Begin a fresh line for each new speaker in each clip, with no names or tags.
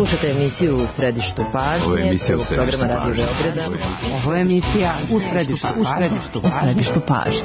Slušajte emisiju U središtu pažnje, prvog programa Radio Beograda.
Ovo je emisija U središtu pažnje.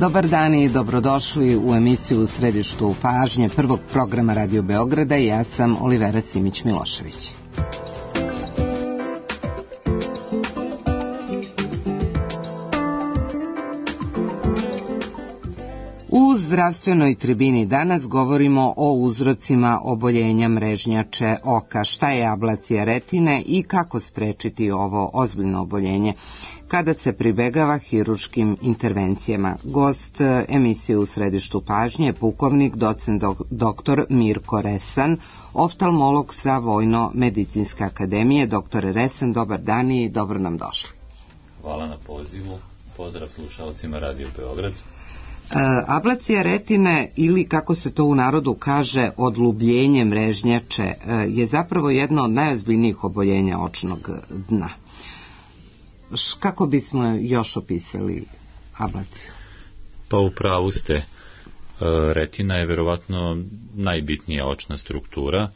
Dobar dan i dobrodošli u emisiju U središtu pažnje prvog programa Radio Beograda i ja sam Olivera Simić-Milošević. U zdravstvenoj tribini danas govorimo o uzrocima oboljenja mrežnjače oka, šta je ablacija retine i kako sprečiti ovo ozbiljno oboljenje kada se pribegava hirurškim intervencijama. Gost emisije U središtu pažnje je pukovnik docent dr. Mirko Resan, oftalmolog sa Vojno-medicinske akademije. Doktore Resan, dobar dan i dobro nam došli.
Hvala na pozivu, pozdrav slušalcima Radio Beograd.
Ablacija retine, ili kako se to u narodu kaže odlubljenje mrežnjače, je zapravo jedno od najozbiljnijih oboljenja očnog dna. Kako bismo još opisali ablaciju?
Pa u pravu ste. Retina je verovatno najbitnija očna struktura,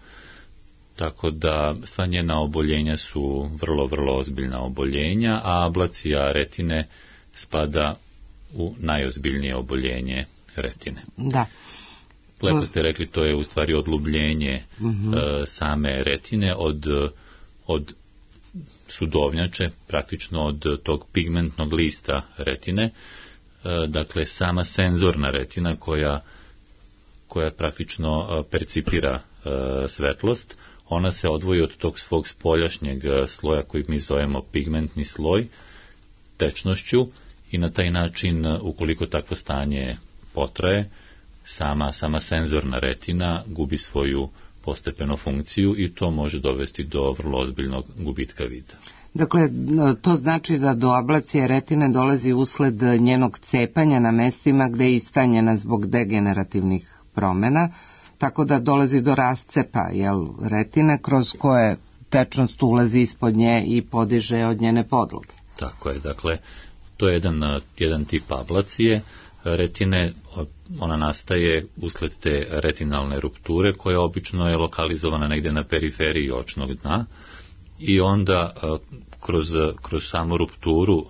tako da sva njena oboljenja su vrlo ozbiljna oboljenja, a ablacija retine spada u najozbiljnije oboljenje retine.
Da.
Lepo ste rekli, to je u stvari odlubljenje same retine od sudovnjače, praktično od tog pigmentnog lista retine, dakle sama senzorna retina koja praktično percipira svetlost, ona se odvoji od tog svog spoljašnjeg sloja koji mi zovemo pigmentni sloj tečnošću i na taj način, ukoliko takvo stanje potraje, sama senzorna retina gubi svoju postepeno funkciju i to može dovesti do vrlo ozbiljnog gubitka vida.
Dakle, to znači da do ablacije retine dolazi usled njenog cepanja na mestima gde je istanjena zbog degenerativnih promjena, tako da dolazi do rascepa retine kroz koje tečnost ulazi ispod nje i podiže od njene podloge.
Tako je, dakle, to je jedan tip ablacije retine, ona nastaje usled te retinalne rupture koja obično je lokalizovana negdje na periferiji očnog dna i onda kroz samu rupturu,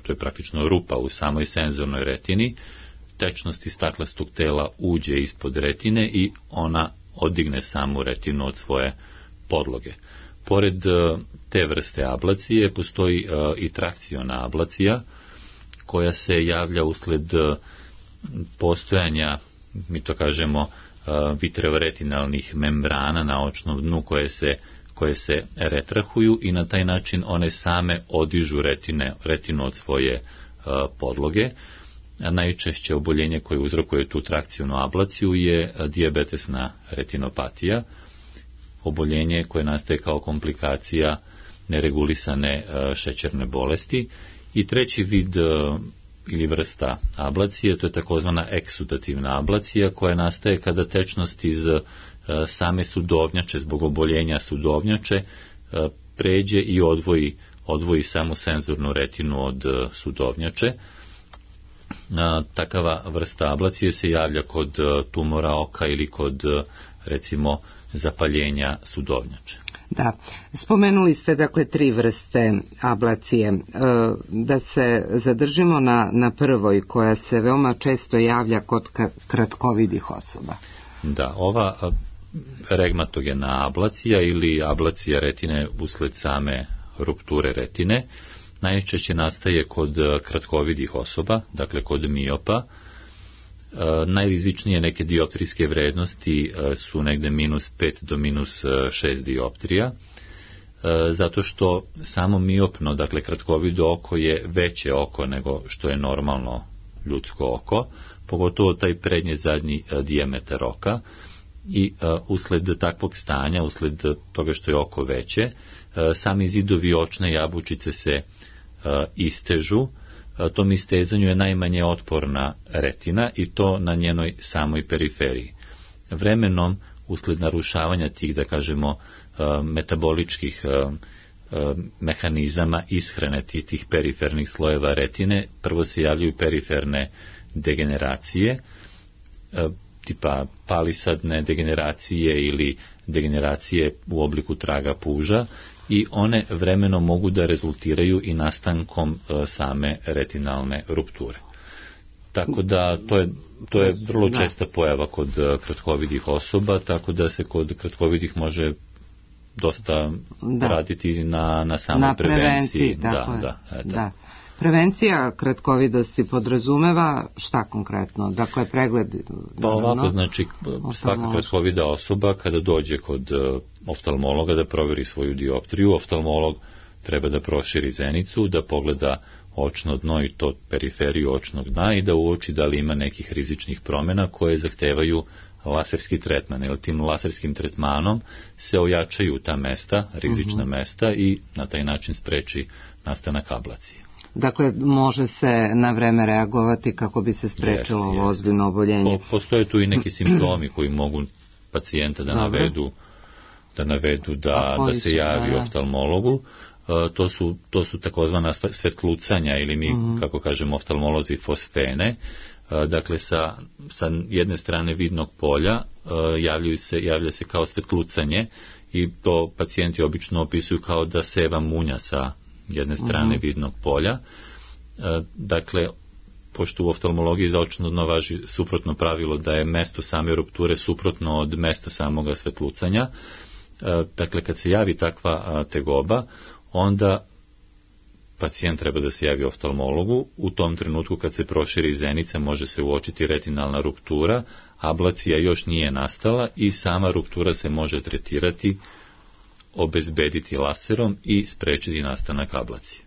to je praktično rupa u samoj senzornoj retini, tečnost iz staklastog tela uđe ispod retine i ona odigne samu retinu od svoje podloge. Pored te vrste ablacije postoji i trakciona ablacija koja se javlja usled postojanja, mi to kažemo, vitreoretinalnih membrana na očnom dnu koje se retrahuju i na taj način one same odižu retinu od svoje podloge. A najčešće oboljenje koje uzrokuje tu trakcionu ablaciju je dijabetesna retinopatija, oboljenje koje nastaje kao komplikacija neregulisane šećerne bolesti. I treći vid ili vrsta ablacije, to je takozvana eksudativna ablacija koja nastaje kada tečnost iz same sudovnjače zbog oboljenja sudovnjače pređe i odvoji samu senzornu retinu od sudovnjače. Takava vrsta ablacije se javlja kod tumora oka ili kod, recimo, zapaljenja sudovnjače.
Da, spomenuli ste dakle tri vrste ablacije. Da se zadržimo na prvoj koja se veoma često javlja kod kratkovidih osoba.
Da, ova regmatogena ablacija ili ablacija retine usled same rupture retine najčešće nastaje kod kratkovidih osoba, dakle kod miopa. Najrizičnije neke dioptrijske vrednosti su negde -5 do -6 dioptrija. zato što samo miopno, dakle kratkovido oko je veće oko nego što je normalno ljudsko oko, pogotovo taj prednji zadnji dijametar oka, i usled takvog stanja, usled toga što je oko veće, sami zidovi očne jabučice se istežu. Tom istezanju je najmanje otporna retina i to na njenoj samoj periferiji. Vremenom, usled narušavanja tih, da kažemo, metaboličkih mehanizama ishrane tih perifernih slojeva retine, prvo se javljaju periferne degeneracije, tipa palisadne degeneracije ili degeneracije u obliku traga puža, i one vremenom mogu da rezultiraju i nastankom same retinalne rupture. Tako da to je vrlo česta pojava kod kratkovidih osoba, tako da se kod kratkovidih može dosta raditi na samoj prevenciji.
Da. Prevencija kratkovidosti podrazumeva šta konkretno? Dakle, pregled...
Pa ovako, znači, svaka kratkovida osoba kada dođe kod oftalmologa da proveri svoju dioptriju, oftalmolog treba da proširi zenicu, da pogleda očno dno i to periferiju očnog dna i da uoči da li ima nekih rizičnih promjena koje zahtevaju laserski tretman, jer tim laserskim tretmanom se ojačaju ta mesta, rizična mesta, i na taj način spreči nastanak ablacije.
Dakle, može se na vreme reagovati kako bi se sprečilo ovo ozbiljno oboljenje.
Postoje tu i neki simptomi koji mogu pacijenta da navedu da se javi oftalmologu. To su takozvana svetlucanja, ili mi, kako kažemo oftalmolozi, fosfene. Dakle, sa jedne strane vidnog polja javlja se kao svetlucanje, i to pacijenti obično opisuju kao da seva munja sa jedne strane vidnog polja. Dakle, pošto u oftalmologiji za očno dno važi suprotno pravilo da je mesto same rupture suprotno od mesta samoga svetlucanja, dakle, kad se javi takva tegoba, onda pacijent treba da se javi oftalmologu. U tom trenutku kad se proširi zenica može se uočiti retinalna ruptura, ablacija još nije nastala i sama ruptura se može tretirati, obezbediti laserom i sprečiti nastanak ablacije.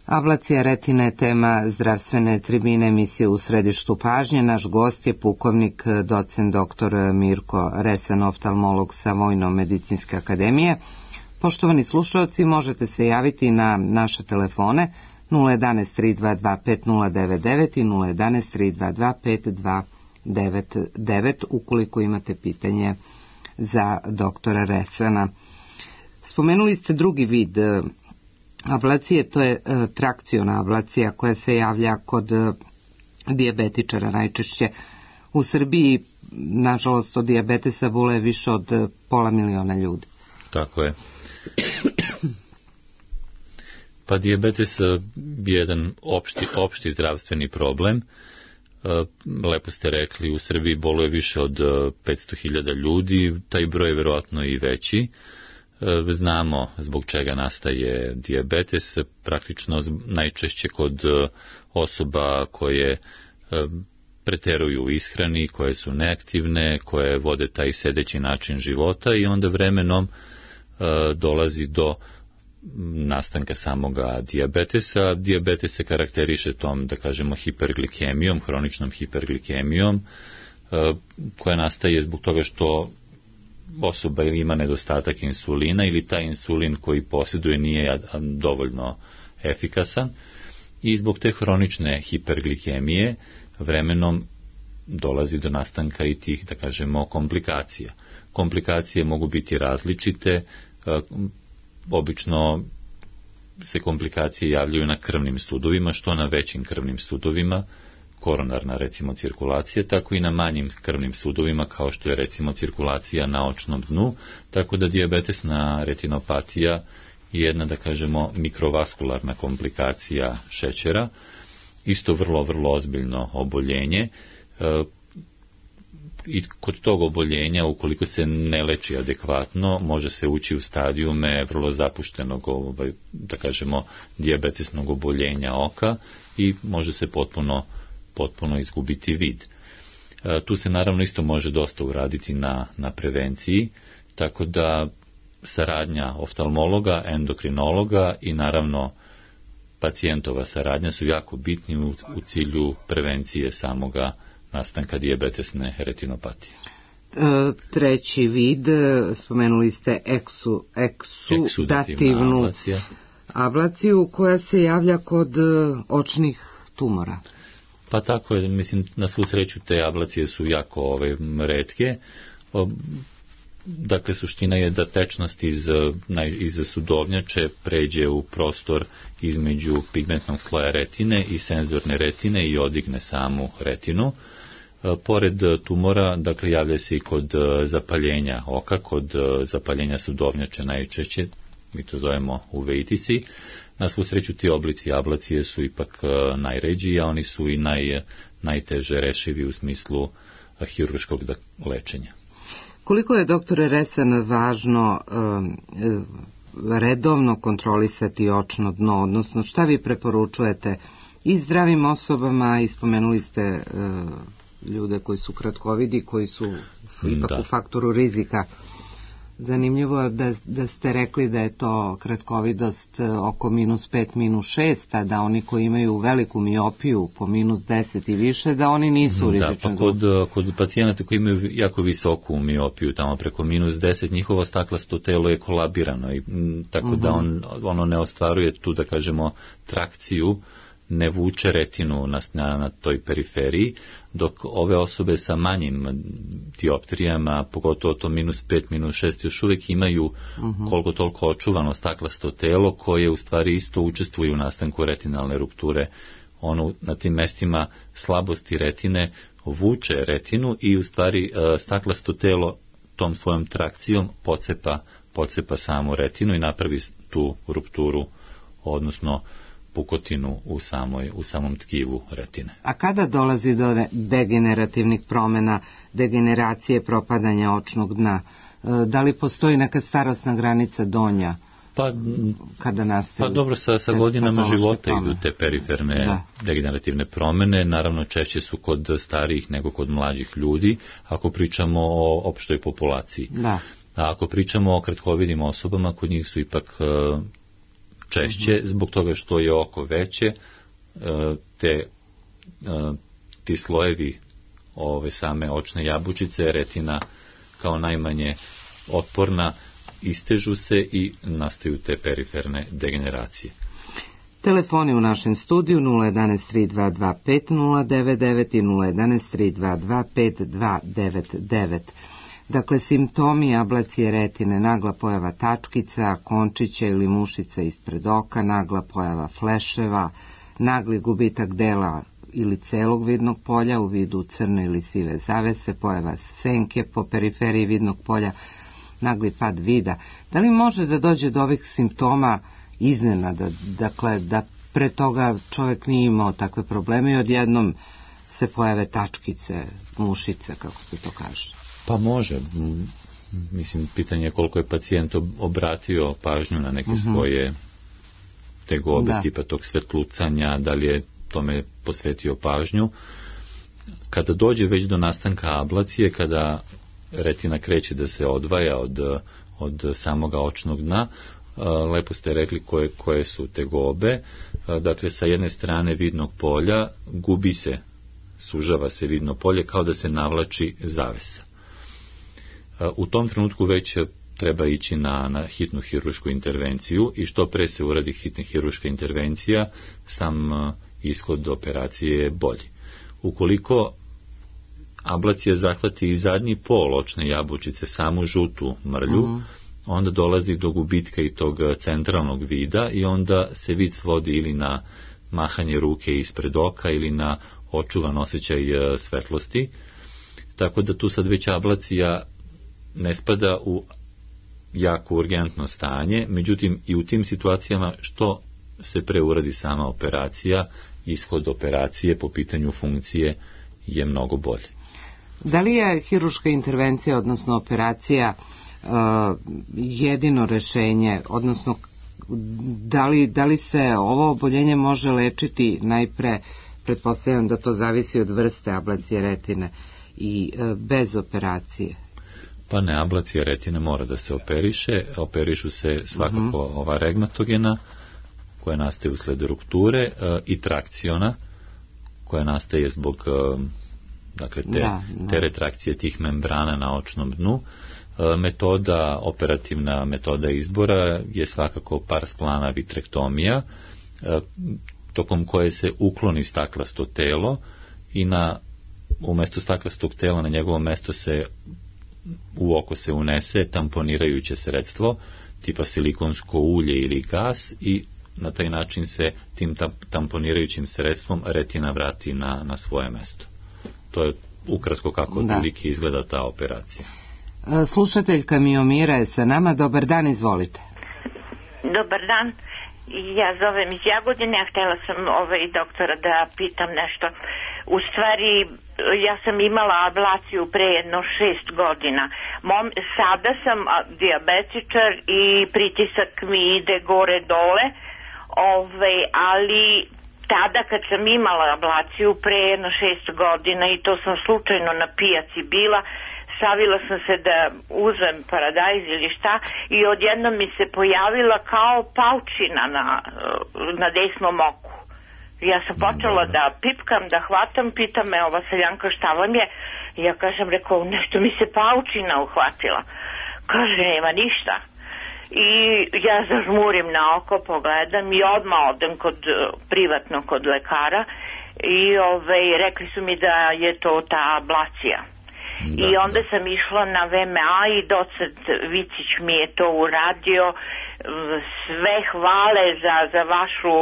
Ablacija retine je tema zdravstvene tribine emisije U središtu pažnje. Naš gost je pukovnik docent dr. Mirko Resan, oftalmolog sa Vojno-medicinske akademije. Poštovani slušalci, možete se javiti na naše telefone 011 322 5099 i 011 322 5299 ukoliko imate pitanje za doktora Resana. Spomenuli ste drugi vid ablacije, to je trakciona ablacija koja se javlja kod dijabetičara najčešće. U Srbiji, nažalost, od dijabetesa boluje više od 500.000 ljudi.
Tako je. Pa dijabetes je jedan opšti zdravstveni problem. Lepo ste rekli, u Srbiji boluje više od 500.000 ljudi, taj broj je vjerojatno i veći. Znamo zbog čega nastaje dijabetes, praktično najčešće kod osoba koje preteruju u ishrani, koje su neaktivne, koje vode taj sedeći način života, i onda vremenom dolazi do nastanka samoga dijabetesa. Dijabetes se karakteriše tom, da kažemo, hiperglikemijom, hroničnom hiperglikemijom, koja nastaje zbog toga što osoba ili ima nedostatak insulina ili taj insulin koji posjeduje nije dovoljno efikasan, i zbog te hronične hiperglikemije vremenom dolazi do nastanka i tih, da kažemo, komplikacija. Komplikacije mogu biti različite, obično se komplikacije javljaju na krvnim sudovima, što na većim krvnim sudovima, koronarna recimo cirkulacija, tako i na manjim krvnim sudovima kao što je recimo cirkulacija na očnom dnu, tako da diabetesna retinopatija je jedna, da kažemo, mikrovaskularna komplikacija šećera, isto vrlo ozbiljno oboljenje, i kod tog oboljenja, ukoliko se ne leči adekvatno, može se ući u stadijume vrlo zapuštenog, da kažemo, dijabetesnog oboljenja oka i može se potpuno izgubiti vid. Tu se naravno isto može dosta uraditi na prevenciji, tako da saradnja oftalmologa, endokrinologa i naravno pacijentova saradnja su jako bitni u cilju prevencije samoga nastanka dijabetesne retinopatije.
Treći vid, spomenuli ste eksudativnu ablaciju koja se javlja kod očnih tumora.
Pa tako je, mislim, na svu sreću te ablacije su jako retke. Dakle, suština je da tečnost iz sudovnjače pređe u prostor između pigmentnog sloja retine i senzorne retine i odigne samu retinu. Pored tumora, dakle, javlja se i kod zapaljenja oka, kod zapaljenja sudovnjače najčešće, mi to zovemo uveitisi. Na svu sreću ti oblici ablacije su ipak najređi, a oni su i najteže rešivi u smislu hirurškog lečenja.
Koliko je, doktore Resan, važno redovno kontrolisati očno dno, odnosno šta vi preporučujete i zdravim osobama, i spomenuli ste ljude koji su kratkovidi, koji su ipak u faktoru rizika. Zanimljivo je da ste rekli da je to kratkovidost oko -5, -6, a da oni koji imaju veliku miopiju po -10 i više, da oni nisu u rizičnoj grupi.
Pa kod pacijenata koji imaju jako visoku miopiju, tamo preko -10, njihovo staklasto telo je kolabirano, i tako da ono ne ostvaruje tu, da kažemo, trakciju, ne vuče retinu na toj periferiji, dok ove osobe sa manjim dioptrijama, pogotovo to -5, -6, još uvijek imaju koliko toliko očuvano staklasto telo koje u stvari isto učestvuje u nastanku retinalne rupture. Ono na tim mestima slabosti retine vuče retinu i u stvari staklasto telo tom svojom trakcijom pocepa samu retinu i napravi tu rupturu, odnosno pukotinu u samom tkivu retine.
A kada dolazi do degenerativnih promjena, degeneracije, propadanja očnog dna? Da li postoji neka starosna granica donja? Kada nastaju?
Pa dobro, sa godinama života idu te periferne degenerativne promjene, naravno češće su kod starijih nego kod mlađih ljudi, ako pričamo o opštoj populaciji. A ako pričamo o kratkovidim osobama, kod njih su ipak češće, zbog toga što je oko veće, ti slojevi same očne jabučice, retina kao najmanje otporna, istežu se i nastaju te periferne degeneracije.
Telefoni u našem studiju 011 3225 099 i 011 3225 5299. Dakle, simptomi ablacije retine: nagla pojava tačkica, končića ili mušica ispred oka, nagla pojava fleševa, nagli gubitak dela ili celog vidnog polja u vidu crne ili sive zavese, pojava senke po periferiji vidnog polja, nagli pad vida. Da li može da dođe do ovih simptoma iznenada, dakle da pre toga čovjek nije imao takve probleme i odjednom se pojave tačkice, mušice, kako se to kaže?
Pa može. Mislim, pitanje je koliko je pacijent obratio pažnju na neke svoje tegobe, tipa tog svetlucanja, da li je tome posvetio pažnju. Kada dođe već do nastanka ablacije, kada retina kreće da se odvaja od samoga očnog dna, lepo ste rekli koje su tegobe. Dakle, sa jedne strane vidnog polja gubi se, sužava se vidno polje kao da se navlači zavesa. U tom trenutku već treba ići na hitnu hiruršku intervenciju i što pre se uradi hitna hirurška intervencija, sam ishod operacije je bolji. Ukoliko ablacija zahvati i zadnji pol očne jabučice, samu žutu mrlju, onda dolazi do gubitka i tog centralnog vida i onda se vid svodi ili na mahanje ruke ispred oka ili na očuvan osjećaj svetlosti. Tako da tu sad već ablacija ne spada u jako urgentno stanje, međutim i u tim situacijama što se pre uradi sama operacija, ishod operacije po pitanju funkcije je mnogo bolji.
Da li je hirurška intervencija, odnosno operacija, jedino rešenje, odnosno da li se ovo oboljenje može lečiti najpre, pretpostavljam da to zavisi od vrste ablacije retine, i bez operacije?
Pa ne, ablacija retine mora da se operišu se svakako ova regmatogena koja nastaje usled rupture i trakciona koja nastaje zbog dakle te retrakcije tih membrana na očnom dnu. Operativna metoda izbora je svakako pars plana vitrektomija, tokom koje se ukloni staklasto telo i umjesto staklastog tela na njegovo mesto se u oko se unese tamponirajuće sredstvo tipa silikonsko ulje ili gas i na taj način se tim tamponirajućim sredstvom retina vrati na svoje mesto. To je ukratko kako otprilike izgleda ta operacija.
Slušateljka Miomira je sa nama. Dobar dan, izvolite.
Dobar dan. Ja zovem iz Jagodine, a htjela sam doktora da pitam nešto. U stvari, ja sam imala ablaciju pre jedno 6 godina. Sada sam dijabetičar i pritisak mi ide gore dole, ali tada kad sam imala ablaciju pre jedno 6 godina i to sam slučajno na pijaci bila, savila sam se da uzmem paradajz ili šta i odjednom mi se pojavila kao paučina na desnom oku. Ja sam počela da pipkam, da hvatam, pita me ova seljanka šta vam je. Ja kažem, rekao, nešto mi se paučina uhvatila. Kaže, nema ništa. I ja zažmurim na oko, pogledam i odmah odem privatno kod lekara i rekli su mi da je to ta ablacija. I onda sam išla na VMA i docent Vicić mi je to uradio. Sve hvale za vašu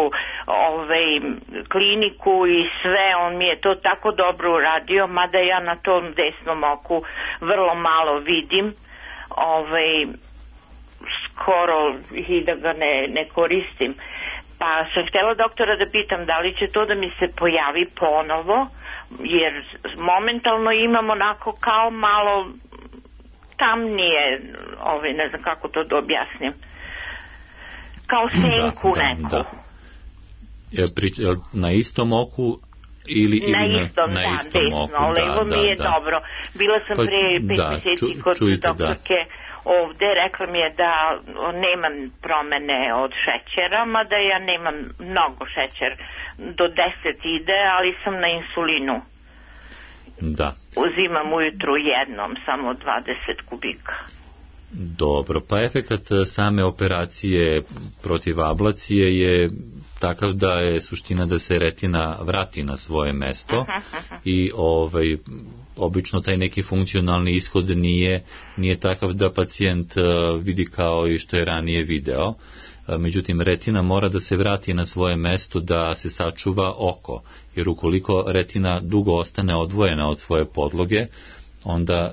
kliniku i sve, on mi je to tako dobro uradio, mada ja na tom desnom oku vrlo malo vidim, skoro i da ga ne koristim. Pa sam htjela doktora da pitam da li će to da mi se pojavi ponovo, jer momentalno imam onako kao malo tamnije, ne znam kako to da objasnim, kao senku neku.
Na istom oku ili
na istom oku? Levo mi je dobro. Bila sam pre 5 mjeseci kod doktorke ovde, rekla mi je da nemam promene od šećera, mada ja nemam mnogo šećer, do 10 ide, ali sam na insulinu.
Da.
Uzimam ujutru jednom, samo 20 kubika.
Dobro, pa efekat same operacije protiv ablacije je takav da je suština da se retina vrati na svoje mesto i obično taj neki funkcionalni ishod nije takav da pacijent vidi kao i što je ranije video. Međutim, retina mora da se vrati na svoje mesto da se sačuva oko, jer ukoliko retina dugo ostane odvojena od svoje podloge, onda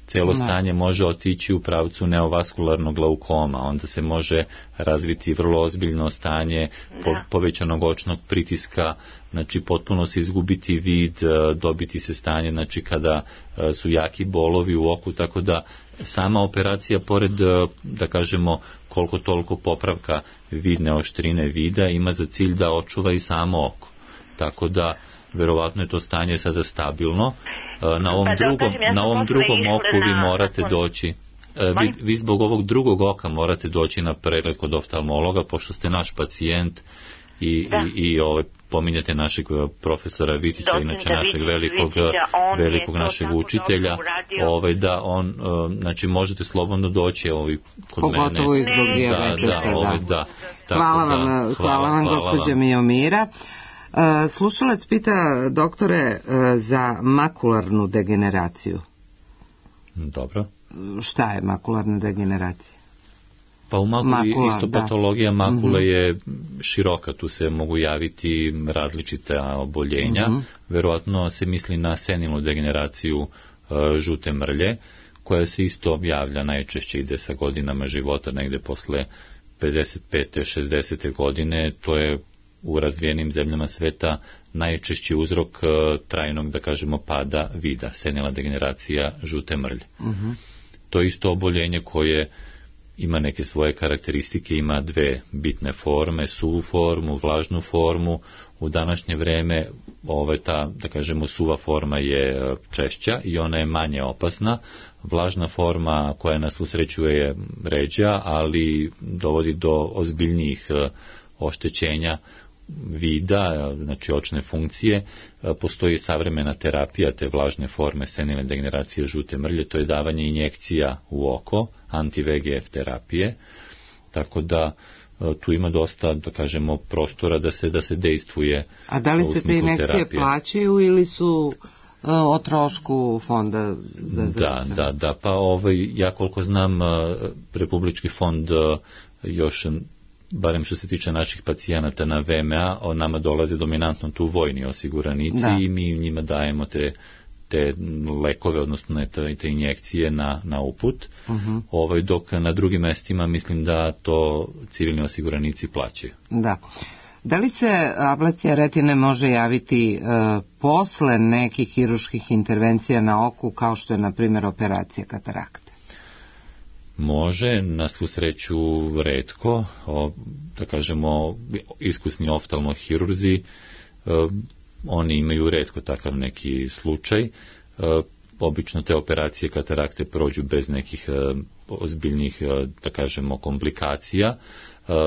cijelo stanje može otići u pravcu neovaskularnog glaukoma, onda se može razviti vrlo ozbiljno stanje povećanog očnog pritiska, znači potpuno se izgubiti vid, dobiti se stanje, znači kada su jaki bolovi u oku, tako da sama operacija, pored, da kažemo, koliko toliko popravka vidne oštrine vida, ima za cilj da očuva i samo oko. Tako da verovatno je to stanje sada stabilno. Na ovom drugom oku vi morate doći. Vi zbog ovog drugog oka morate doći na pregled kod oftalmologa, pošto ste naš pacijent i pominjate našeg profesora Vitića, inače našeg velikog našeg učitelja, da on, znači možete slobodno doći kod mene.
Pogotovo i zbog dijabetesa, Hvala vam, gospođa Miomira. Slušalac pita, doktore, za makularnu degeneraciju.
Dobro.
Šta je makularna degeneracija?
Pa u makuli isto patologija makule je široka, tu se mogu javiti različita oboljenja. Verovatno se misli na senilnu degeneraciju žute mrlje, koja se isto javlja, najčešće ide sa godinama života, negde posle 55. 60. godine. To je u razvijenim zemljama sveta najčešći uzrok trajnog, da kažemo, pada vida, senilna degeneracija žute mrlje. To je isto oboljenje koje ima neke svoje karakteristike, ima dve bitne forme, suvu formu, vlažnu formu. U današnje vreme ta, da kažemo, suva forma je češća i ona je manje opasna. Vlažna forma, koja na svu sreću je ređa, ali dovodi do ozbiljnijih oštećenja vida, znači očne funkcije. Postoji savremena terapija te vlažne forme senilne degeneracije žute mrlje, to je davanje injekcija u oko, anti-VEGF terapije, tako da tu ima dosta, da kažemo, prostora da se dejstvuje.
A da li se te injekcije terapije plaćaju ili su o trošku fonda za zdravstvo?
Da, pa ja koliko znam, Republički fond još, barem što se tiče naših pacijenata na VMA, od nama dolaze dominantno tu vojni osiguranici i mi njima dajemo te lekove, odnosno te injekcije na uput, dok na drugim mestima mislim da to civilni osiguranici plaćaju.
Da. Da li se ablacija retine može javiti posle nekih hirurških intervencija na oku, kao što je, na primjer, operacija katarakte?
Može, na svu sreću retko, da kažemo, iskusni oftalmohirurzi, oni imaju retko takav neki slučaj. Obično te operacije katarakte prođu bez nekih ozbiljnih, da kažemo, komplikacija.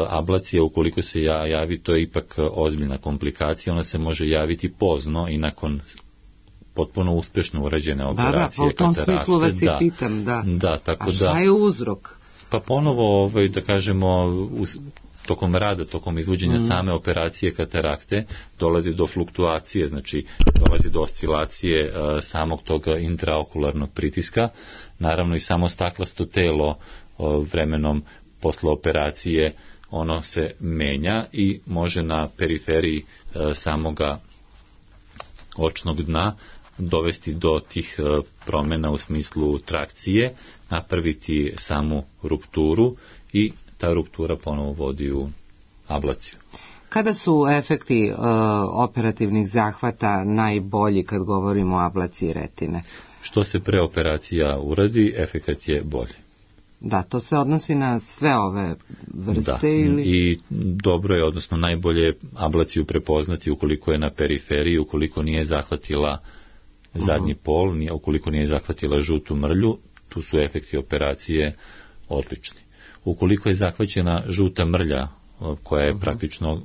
Ablacija, ukoliko se javi, to je ipak ozbiljna komplikacija, ona se može javiti pozno i nakon potpuno uspješno urađene operacije katarakte.
Da, u tom smislu vas i pitam, da.
Tako
a šta je uzrok?
Pa ponovo, da kažemo, tokom izvođenja same operacije katarakte dolazi do fluktuacije, znači dolazi do oscilacije samog tog intraokularnog pritiska. Naravno i samo staklasto telo vremenom posle operacije ono se menja i može na periferiji samoga očnog dna dovesti do tih promjena u smislu trakcije, napraviti samu rupturu i ta ruptura ponovo vodi u ablaciju.
Kada su efekti operativnih zahvata najbolji kad govorimo o ablaciji retine?
Što se pre operacija uradi, efekat je bolji.
Da, to se odnosi na sve ove vrste ili...
I dobro je, odnosno najbolje ablaciju prepoznati ukoliko je na periferiji, ukoliko nije zahvatila zadnji pol, ukoliko nije zahvatila žutu mrlju, tu su efekti operacije odlični. Ukoliko je zahvaćena žuta mrlja, koja je praktično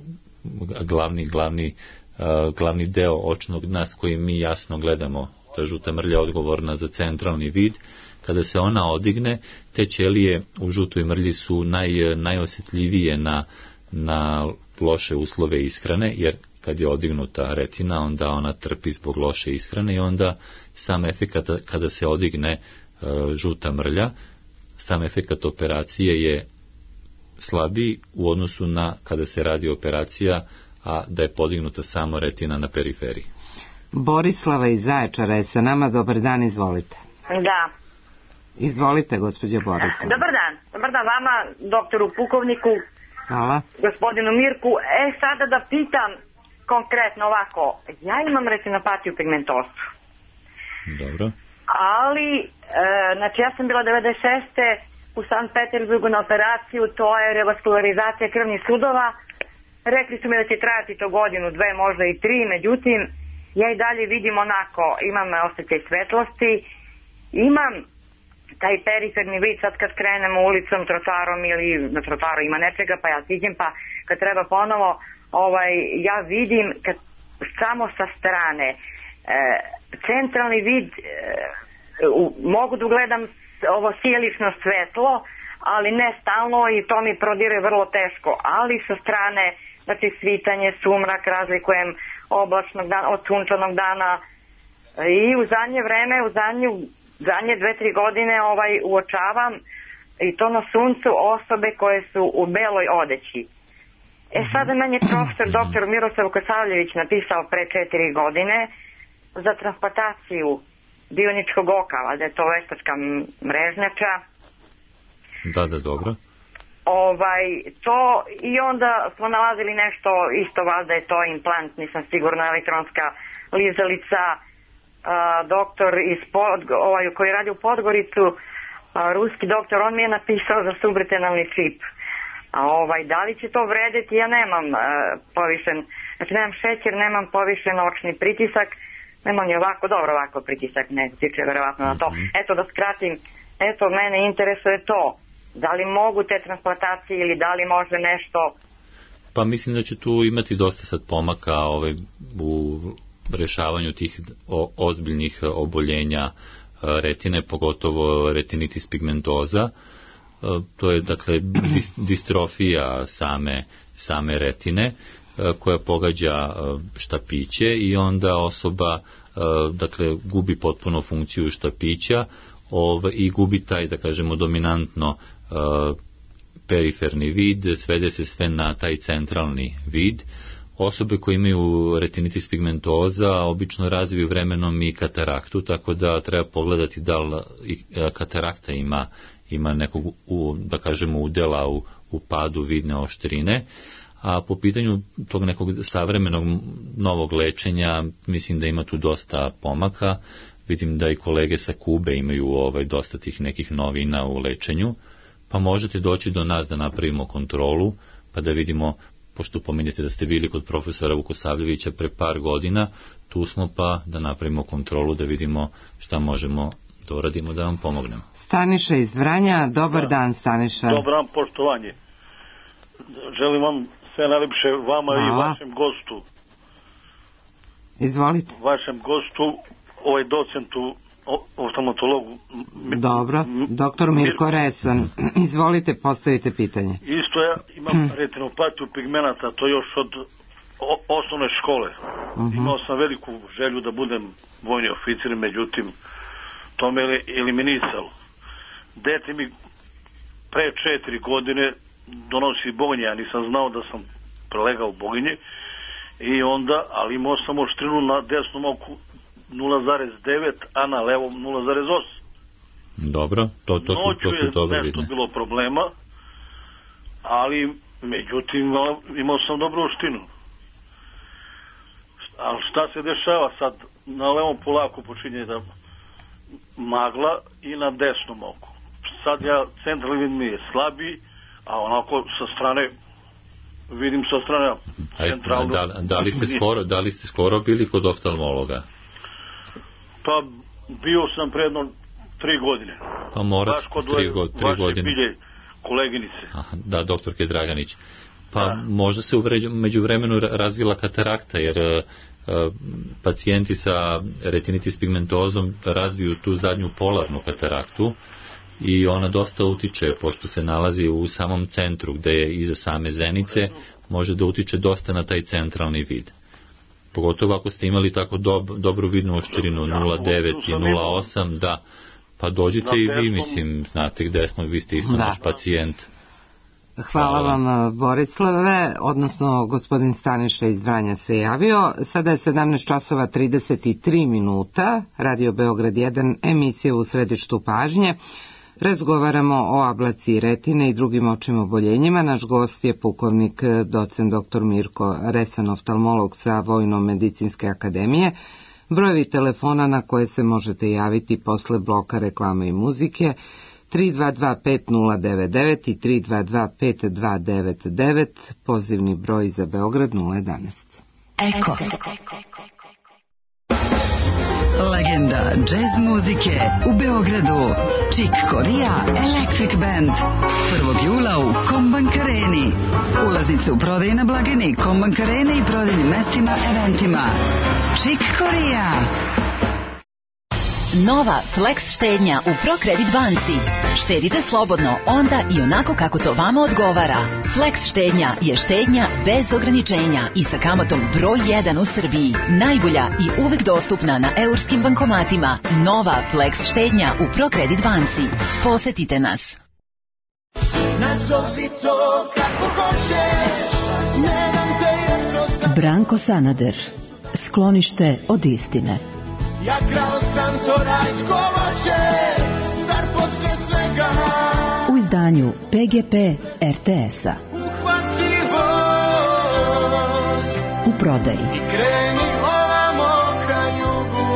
glavni deo očnog dna s kojim mi jasno gledamo, ta žuta mrlja je odgovorna za centralni vid, kada se ona odigne, te ćelije u žutoj mrlji su najosjetljivije na loše uslove ishrane, jer kad je odignuta retina, onda ona trpi zbog loše ishrane i onda sam efekat kada se odigne žuta mrlja, sam efekat operacije je slabiji u odnosu na kada se radi operacija, a da je podignuta samo retina na periferiji.
Borislava iz Zaječara je sa nama. Dobar dan, izvolite.
Da.
Izvolite, gospođo Borislava.
Dobar dan vama, doktoru pukovniku.
Hvala.
Gospodinu Mirku. Sada da pitam konkretno ovako. Ja imam retinopatiju pigmentozu.
Dobro.
Ali, znači ja sam bila 96. u Sankt Petersburgu na operaciju, to je revaskularizacija krvnih sudova. Rekli su mi da će trajati to godinu, dve, možda i 3, međutim, ja i dalje vidim onako, imam osjećaj svetlosti, imam taj periferni vid, sad kad krenemo ulicom, trotoarom ili na trotoaru ima nečega, pa ja siđem, pa kad treba ponovo, ja vidim samo sa strane. Centralni vid, mogu da gledam ovo sjelično svetlo, ali ne stalno i to mi prodire vrlo teško, ali sa strane, znači svitanje, sumrak, razlikujem oblačnog dana od sunčanog dana i u zadnje vreme, zadnje 2-3 godine uočavam i to na suncu osobe koje su u beloj odeći. Sada meni je profesor dr. Miroslav Kosavljević napisao pre 4 godine za transplantaciju bioničkog oka, da je to veštačka mrežnjača.
Da, dobro.
To i onda smo nalazili nešto, isto valjda je to implant, nisam sigurna, elektronska lizalica, doktor koji radi u Podgoricu, ruski doktor, on mi je napisao za subretinalni čip. A da li će to vredeti? Ja nemam povišen, znači nemam šećer, nemam povišen očni pritisak, nemam ni ovako pritisak, ne tiče verovatno na to. Eto, da skratim, mene interesuje to. Da li mogu te transplantacije ili da li može nešto?
Pa mislim da će tu imati dosta sad pomaka u rešavanju tih ozbiljnih oboljenja retine, pogotovo retinitis pigmentoza. To je dakle distrofija same retine koja pogađa štapiće i onda osoba dakle gubi potpuno funkciju štapića i gubi taj, da kažemo, dominantno periferni vid, svede se sve na taj centralni vid. Osobe koje imaju retinitis pigmentoza obično razviju vremenom i kataraktu, tako da treba pogledati da li katarakta ima nekog, da kažemo, udela u padu vidne oštrine. A po pitanju tog nekog savremenog novog lečenja, mislim da ima tu dosta pomaka. Vidim da i kolege sa Kube imaju dosta tih nekih novina u lečenju, pa možete doći do nas da napravimo kontrolu, pa da vidimo, pošto pominjete da ste bili kod profesora Vukosavljevića pre par godina, tu smo pa da napravimo kontrolu, da vidimo šta možemo da uradimo, da vam pomognemo.
Staniša iz Vranja, dobar dan Staniša.
Dobar dan, poštovanje. Želim vam sve najlepše, vama i vašem gostu.
Izvolite.
Vašem gostu, docentu, oftalmatologu.
Dobro, doktor Mirko Resan. Izvolite, postavite pitanje.
Isto ja imam retinopatiju pigmenata, to još od osnovne škole. Imao sam veliku želju da budem vojni oficir, međutim, to me eliminisalo. Dete mi pre 4 godine donosi boginje, ja nisam znao da sam prelegao boginje, i onda, ali imao sam oštrinu na desnom oku 0,9, a na levom 0,8.
Dobro, to su dobro vidne.
Nešto bilo problema, ali međutim imao sam dobru oštinu. Ali šta se dešava sad? Na levom polako počinje da magla i na desnom oku. Sad centralni vid mi je slabiji, a onako sa strane vidim sa strane centralno.
Da li ste skoro bili kod oftalmologa?
Pa bio sam predno 3 godine.
Pa morate 3 godine.
Bilje koleginice.
Da, doktorke Draganić. Pa možda se među vremenu razvila katarakta, jer pacijenti sa retinitis pigmentozom razviju tu zadnju polarnu kataraktu i ona dosta utiče, pošto se nalazi u samom centru gde je iza same zenice, može da utiče dosta na taj centralni vid. Pogotovo ako ste imali tako dobru vidnu oštrinu 0,9 i 0,8, da, pa dođite i vi, mislim, znate gde smo, vi ste isto naš pacijent.
Hvala vam, Borislave, odnosno gospodin Staniša iz Vranja se javio. Sada je 17 časova 33 minuta, Radio Beograd 1, emisija U središtu pažnje. Razgovaramo o ablaciji retine i drugim očnim oboljenjima. Naš gost je pukovnik docent dr. Mirko Resan, oftalmolog sa Vojno-medicinske akademije. Brojevi telefona na koje se možete javiti posle bloka reklame i muzike 322-5099 i 322-5299, pozivni broj za Beograd 011.
Eko. Legenda džez muzike u Beogradu. Chick Corea Electric Band. 1. jula u Kombank Areni. Ulaznice u prodaji na blagajni Kombank Arene i prodajnim mestima, eventima. Chick Corea.
Nova Flex štednja u ProCredit banci. Štedite slobodno onda i onako kako to vama odgovara. Flex štednja je štednja bez ograničenja i sa kamatom broj 1 u Srbiji. Najbolja i uvek dostupna na eurskim bankomatima. Nova Flex štednja u ProCredit banci. Posetite nas.
Nazovi to kako hoćeš.
Branko Sanader. Sklonište od istine.
Ja krao sam to rajsko voće, zar posle svega
u izdanju PGP RTS-a.
Uhvati voz
u prodaji
i kreni ovamo ka jugu.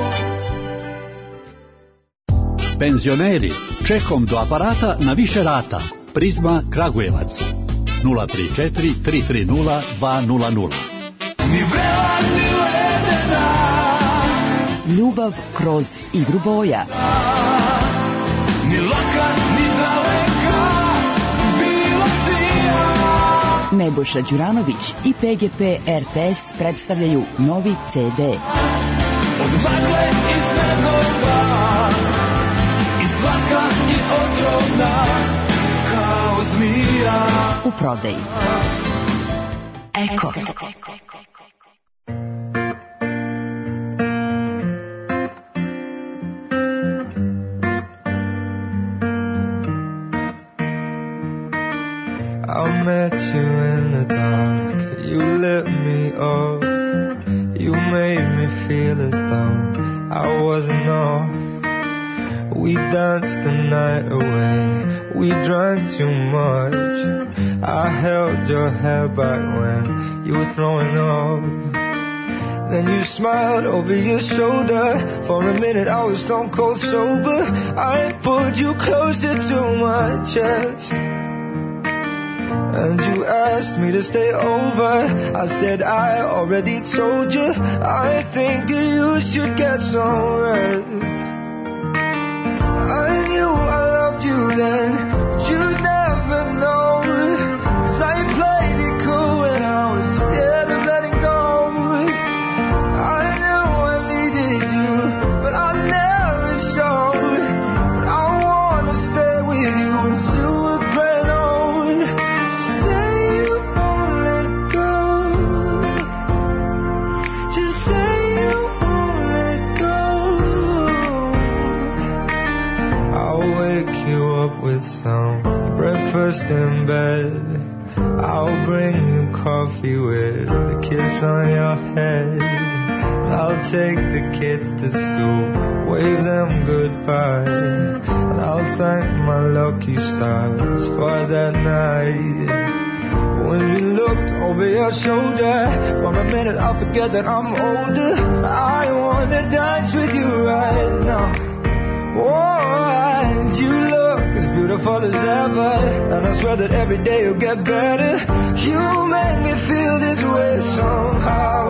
Penzioneri, čekom do aparata na više rata. Prizma Kragujevac 034 330 200.
Ljubav kroz igru boja. Nebojša Đuranović i PGP RTS predstavljaju novi CD.
Od magle i snegova, i zlaka i otrovna, kao zmija.
U prodaji. Eko.
I met you in the dark, you lit me up, you made me feel as though I wasn't off. We danced the night away, we drank too much. I held your hair back when you were throwing up. Then you smiled over your shoulder. For a minute I was stone cold sober. I pulled you closer to my chest, and you asked me to stay over. I said I already told you, I think that you should get some rest. I knew I loved you then, but you never know. 'Cause I played it cool when I was scared of letting go. I knew I needed you, but I never showed. But I wanna stay with you until we're grown old. Say you won't let go. Just say you won't let go. I'll wake you up with some breakfast in bed. I'll bring you coffee with a kiss on your head. I'll take the kids to school, wave them goodbye, and I'll thank my lucky stars for that night. When you looked over your shoulder, for a minute I'll forget that I'm older. I wanna dance with you right now. Oh, and you look as beautiful as ever, and I swear that every day you'll get better. You make me feel this way somehow.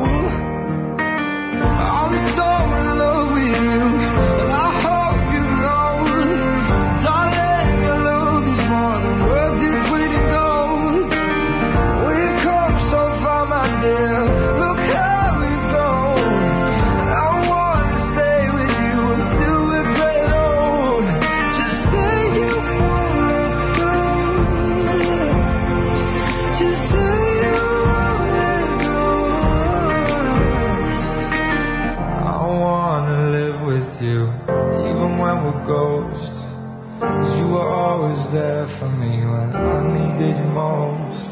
I'm so in love with you, and I hope you know, darling, your love is more than worth its weight in gold. We've come so far, my dear, look how we've grown. And I want to stay with you until we're great old. Just say you won't let go. Just say you won't let go. I wanna live with you, even when we're ghosts. 'Cause you were always there for me when I needed you most.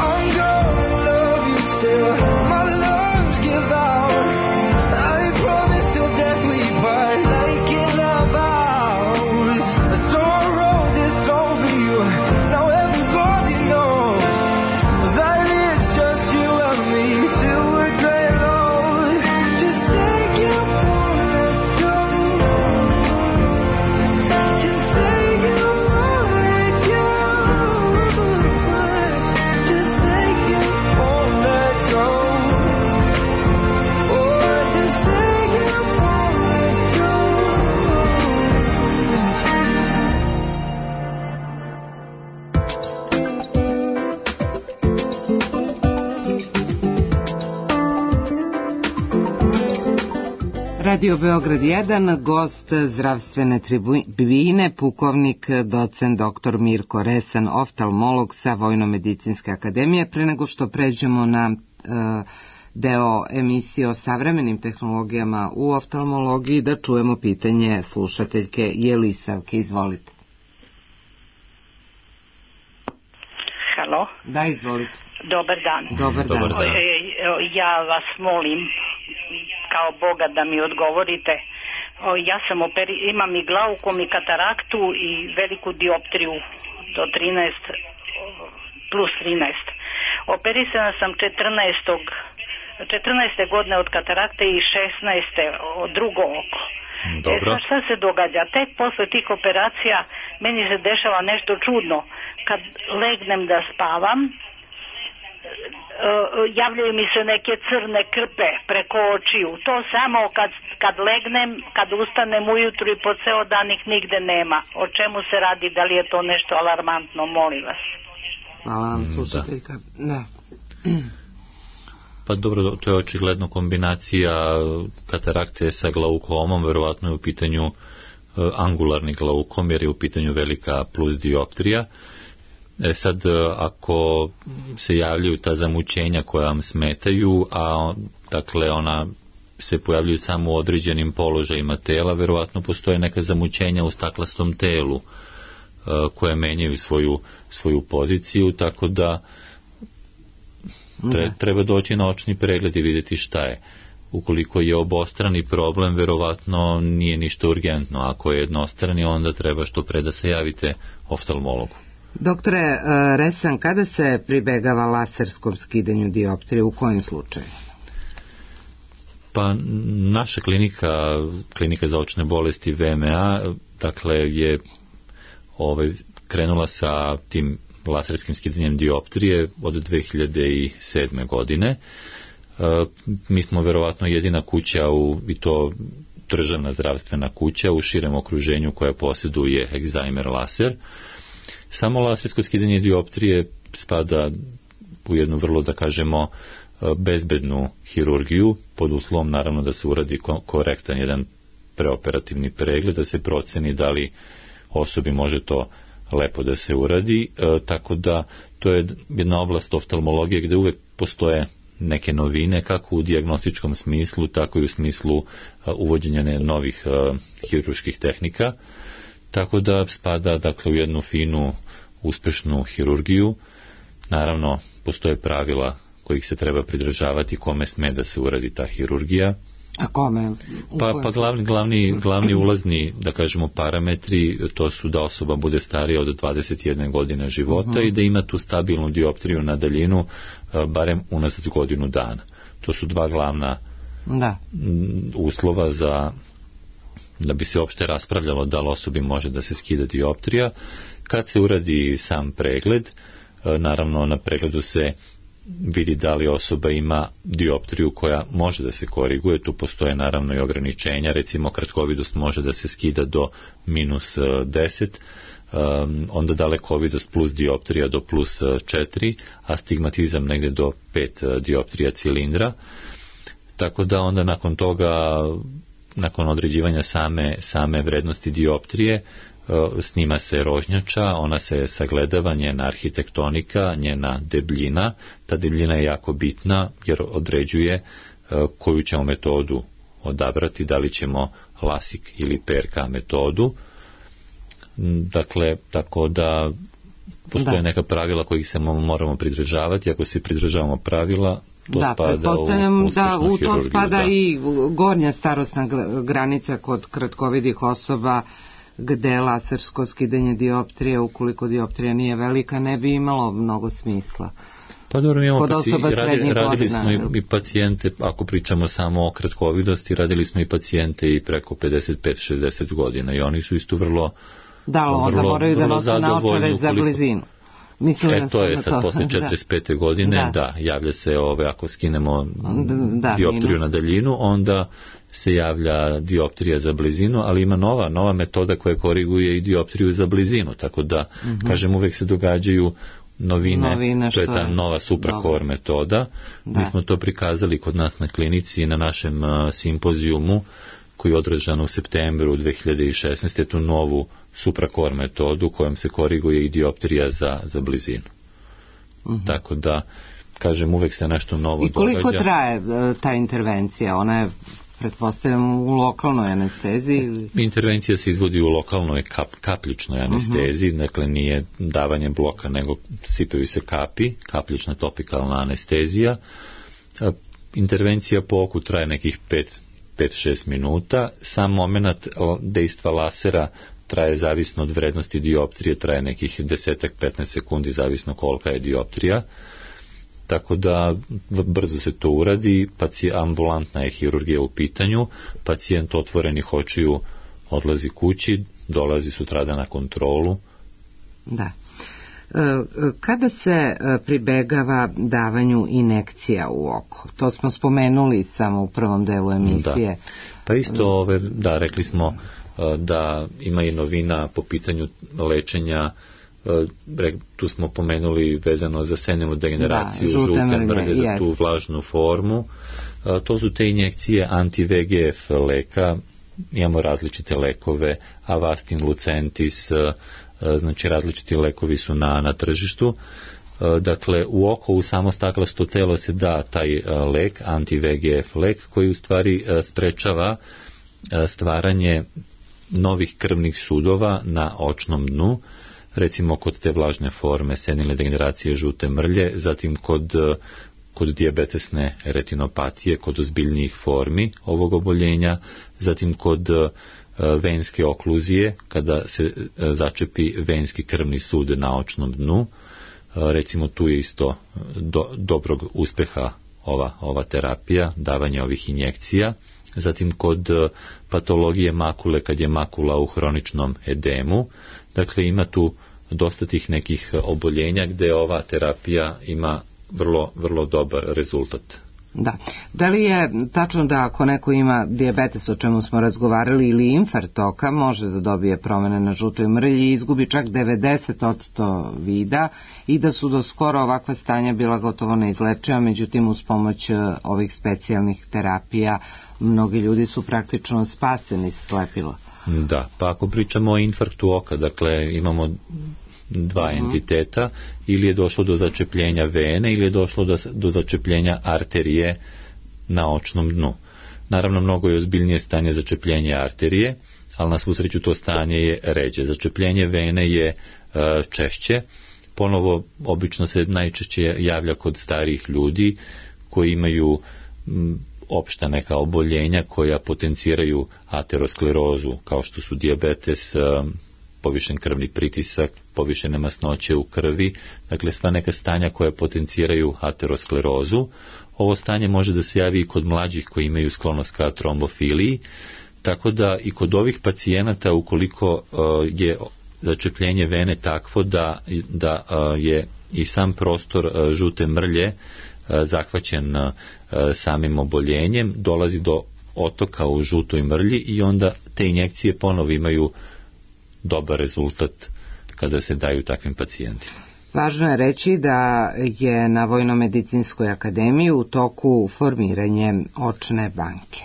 I'm gonna love you till my lungs give out. I promise till death we part, like in our vows. So I wrote this song for you, now everybody knows that it's just you and me till we're great old. Just say you won't let go. Just say you won't let go. Just say you won't let go. Oh, just say you won't let go.
Radio Beograd 1, gost zdravstvene tribine, pukovnik, docent dr. Mirko Resan, oftalmolog sa Vojno-medicinske akademije. Pre nego što pređemo na deo emisije o savremenim tehnologijama u oftalmologiji, da čujemo pitanje slušateljke Jelisavke. Izvolite.
Halo?
Da, izvolite.
Dobar dan.
Dobar dan.
Ja vas molim kao Boga da mi odgovorite. Ja sam imam i glaukom i kataraktu i veliku dioptriju do 13 plus 13. Operisana sam 14. godine od katarakte i 16. od drugo oko.
Dobro.
Sad šta se događa? Tek posle tih operacija meni se dešava nešto čudno. Kad legnem da spavam, javljaju mi se neke crne krpe preko očiju. To samo kad legnem, kad ustanem ujutru i po ceo dan ih nigde nema. O čemu se radi? Da li je to nešto alarmantno? Molim vas.
Hvala vam, slušateljka. Da.
Pa dobro, to je očigledno kombinacija katarakte sa glaukomom, verovatno je u pitanju angularni glaukom, jer je u pitanju velika plus dioptrija. Sad, ako se javljaju ta zamućenja koja vam smetaju, a dakle ona se pojavljuju samo u određenim položajima tela, verovatno postoje neka zamućenja u staklastom telu koje menjaju svoju poziciju, tako da treba doći na očni pregled i vidjeti šta je. Ukoliko je obostrani problem, verovatno nije ništa urgentno. Ako je jednostrani, onda treba što pre da se javite oftalmologu.
Doktore Resan, kada se pribegava laserskom skidanju dioptrije, u kojim slučaju?
Pa naša klinika za očne bolesti VMA, dakle je krenula sa tim laserskim skidanjem dioptrije od 2007. godine. Mi smo verovatno jedina kuća, i to državna zdravstvena kuća u širem okruženju koja posjeduje Excimer laser. Samo lasersko skidanje dioptrije spada u jednu vrlo, da kažemo, bezbednu hirurgiju, pod uslovom naravno da se uradi korektan jedan preoperativni pregled, da se proceni da li osobi može to lepo da se uradi, tako da to je jedna oblast oftalmologije gde uvek postoje neke novine, kako u dijagnostičkom smislu, tako i u smislu uvođenja novih hirurških tehnika, tako da spada dakle u jednu finu, uspešnu hirurgiju. Naravno, postoje pravila kojih se treba pridržavati, kome sme da se uradi ta hirurgija.
A kome?
Pa glavni ulazni, da kažemo, parametri, to su da osoba bude starija od 21 godine života i da ima tu stabilnu dioptriju na daljinu barem unazad godinu dana. To su dva glavna uslova da bi se uopšte raspravljalo da li osobi može da se skida dioptrija. Kad se uradi sam pregled, naravno na pregledu se vidi da li osoba ima dioptriju koja može da se koriguje. Tu postoje naravno i ograničenja, recimo kratkovidost može da se skida do minus 10, onda dalekovidost plus dioptrija do plus 4, a stigmatizam negde do 5 dioptrija cilindra. Tako da onda nakon toga, nakon određivanja same vrednosti dioptrije, snima se rožnjača, ona se sagledava, njena arhitektonika, njena debljina. Ta debljina je jako bitna jer određuje koju ćemo metodu odabrati, da li ćemo LASIK ili PRK metodu. Dakle, tako da postoje neka pravila kojih se moramo pridržavati. Ako se pridržavamo pravila, to spada u uspešnu hirurgiju.
To spada i gornja starosna granica kod kratkovidih osoba, gde lasersko skidanje dioptrije, ukoliko dioptrija nije velika, ne bi imalo mnogo smisla.
Pa dobro, radili smo i pacijente, ako pričamo samo o kratkovidosti, radili smo i pacijente i preko 55-60 godina i oni su isto vrlo
onda moraju da nose naočare za blizinu.
To je sad posle 45. godine, javlja se ako skinemo dioptriju na daljinu, onda se javlja dioptrija za blizinu, ali ima nova metoda koja koriguje i dioptriju za blizinu, tako da, kažem, uvek se događaju novine, to je ta nova supracore metoda. Mi smo to prikazali kod nas na klinici na našem simpozijumu koji je održan u septembru 2016. tu novu supracore metodu kojom se koriguje i dioptrija za blizinu. Tako da, kažem, uvek se nešto novo događa.
I koliko traje ta intervencija? Ona je, pretpostavljam, u lokalnoj anesteziji?
Intervencija se izvodi u lokalnoj kapljičnoj anesteziji, dakle nije davanje bloka, nego sipaju se kapljična topikalna anestezija. Intervencija po oku traje nekih 5-6 minuta. Sam moment dejstva lasera traje zavisno od vrednosti dioptrije, traje nekih 10-15 sekundi, zavisno kolika je dioptrija. tako da brzo se to uradi, ambulantna je hirurgija u pitanju, pacijent otvorenih očiju odlazi kući, dolazi sutradan na kontrolu.
Da. Kada se pribegava davanju injekcija u oko? To smo spomenuli samo u prvom delu emisije.
Da. Pa isto, rekli smo da ima i novina po pitanju lečenja. Tu smo pomenuli vezano za senilnu degeneraciju, žute mrlje, za tu vlažnu formu. To su te injekcije anti-VEGF leka. Imamo različite lekove, Avastin, Lucentis, znači različiti lekovi su na tržištu. Dakle, u oko, u samo staklasto telo se da taj lek, anti-VEGF lek, koji u stvari sprečava stvaranje novih krvnih sudova na očnom dnu, recimo kod te vlažne forme senilne degeneracije žute mrlje, zatim kod dijabetesne retinopatije, kod ozbiljnijih formi ovog oboljenja, zatim kod venske okluzije, kada se začepi venski krvni sud na očnom dnu. Recimo tu je isto dobrog uspeha ova terapija, davanje ovih injekcija. Zatim kod patologije makule, kad je makula u hroničnom edemu. Dakle, ima tu dosta tih nekih oboljenja gdje ova terapija ima vrlo, vrlo dobar rezultat.
Da. Da li je tačno da ako neko ima dijabetes, o čemu smo razgovarali, ili infarkt oka, može da dobije promene na žutoj mrlji i izgubi čak 90% vida, i da su do skoro ovakva stanja bila gotovo neizlečiva, međutim uz pomoć ovih specijalnih terapija mnogi ljudi su praktično spaseni slepila.
Da, pa ako pričamo o infarktu oka, dakle imamo dva entiteta, ili je došlo do začepljenja vene ili je došlo do začepljenja arterije na očnom dnu. Naravno, mnogo je ozbiljnije stanje začepljenja arterije, ali na svu sreću to stanje je ređe. Začepljenje vene je češće, ponovo obično se najčešće javlja kod starijih ljudi koji imaju opšta neka oboljenja koja potenciraju aterosklerozu, kao što su dijabetes, povišen krvni pritisak, povišene masnoće u krvi, dakle sva neka stanja koja potenciraju aterosklerozu. Ovo stanje može da se javi i kod mlađih koji imaju sklonost ka trombofiliji, tako da i kod ovih pacijenata, ukoliko je začepljenje vene takvo da je i sam prostor žute mrlje zahvaćen samim oboljenjem, dolazi do otoka u žutoj mrlji i onda te injekcije ponovo imaju dobar rezultat kada se daju takvim pacijentima.
Važno je reći da je na Vojno-medicinskoj akademiji u toku formiranje očne banke.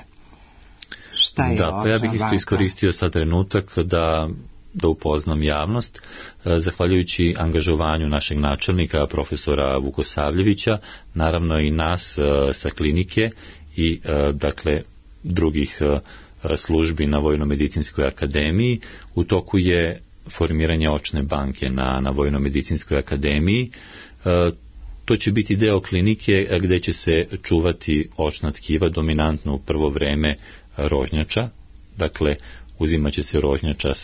Šta je očna banka? Da, pa
ja bih isto iskoristio sad trenutak da upoznam javnost. Zahvaljujući angažovanju našeg načelnika, profesora Vukosavljevića, naravno i nas sa klinike i dakle drugih službi na Vojno-medicinskoj akademiji, u toku je formiranje očne banke na Vojno-medicinskoj akademiji. To će biti deo klinike gdje će se čuvati očna tkiva, dominantno u prvo vreme rožnjača, dakle uzimat će se rožnjača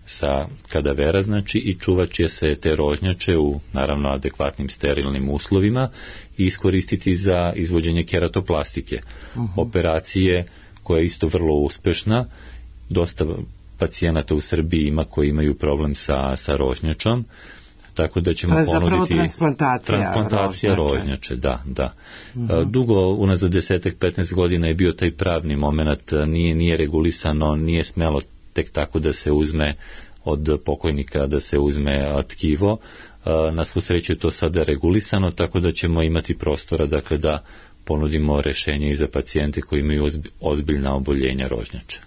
sa kadavera, znači, i čuvat će se te rožnjače u naravno adekvatnim sterilnim uslovima i iskoristiti za izvođenje keratoplastike. Operacije koja je isto vrlo uspešna. Dosta pacijenata u Srbiji ima koji imaju problem sa rožnjačom, tako da ćemo ponuditi transplantacija rožnjače. Da. Dugo, unazad 10-15 godina je bio taj pravni moment, nije regulisano, nije smelo tek tako da se uzme od pokojnika, da se uzme tkivo. Na svu sreću je to sada regulisano, tako da ćemo imati prostora, dakle, da ponudimo rješenje i za pacijente koji imaju ozbiljna oboljenja rožnjača.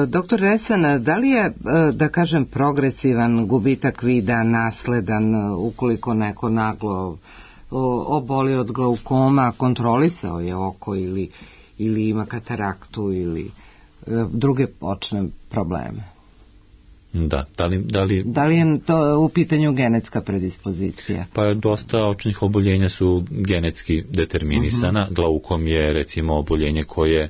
Doktor Resan, da li je, da kažem, progresivan gubitak vida nasledan ukoliko neko naglo oboli od glaukoma, kontrolisao je oko ili ima kataraktu ili druge očne probleme?
Da,
da li je to u pitanju genetska predispozicija?
Pa dosta očnih oboljenja su genetski determinisana. Glaukom je recimo oboljenje koje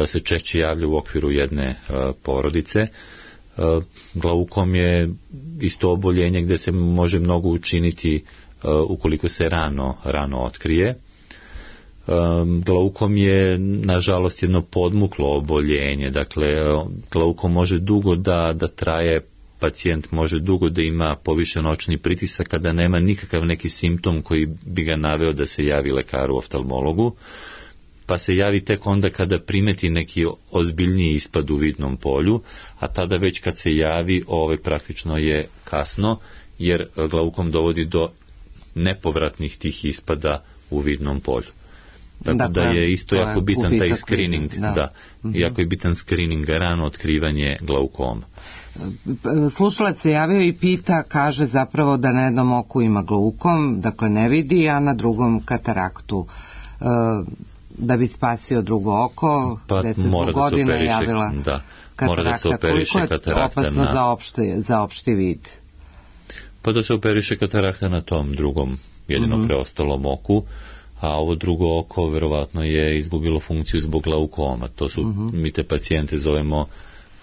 se češće javlja u okviru jedne porodice. Glaukom je isto oboljenje gdje se može mnogo učiniti ukoliko se rano otkrije. Glaukom je nažalost jedno podmuklo oboljenje, dakle glaukom može dugo da traje, pacijent može dugo da ima povišen očni pritisak kada nema nikakav neki simptom koji bi ga naveo da se javi lekaru oftalmologu, pa se javi tek onda kada primeti neki ozbiljniji ispad u vidnom polju, a tada već kad se javi praktično je kasno, jer glaukom dovodi do nepovratnih tih ispada u vidnom polju. Tako da je isto jako bitan taj screening, jako je bitan screening, rano otkrivanje glaukoma.
Slušalac se javio i pita, kaže zapravo da na jednom oku ima glaukom, dakle ne vidi, a na drugom kataraktu. Da bi spasio drugo oko, 10 godina je javila katarakta.
Mora da se operiše katarakta.
Koliko je opasno za opšti vid?
Pa da se operiše katarakta na tom drugom, jedino preostalom oku, a ovo drugo oko verovatno je izgubilo funkciju zbog glaukoma. To su, mi te pacijente zovemo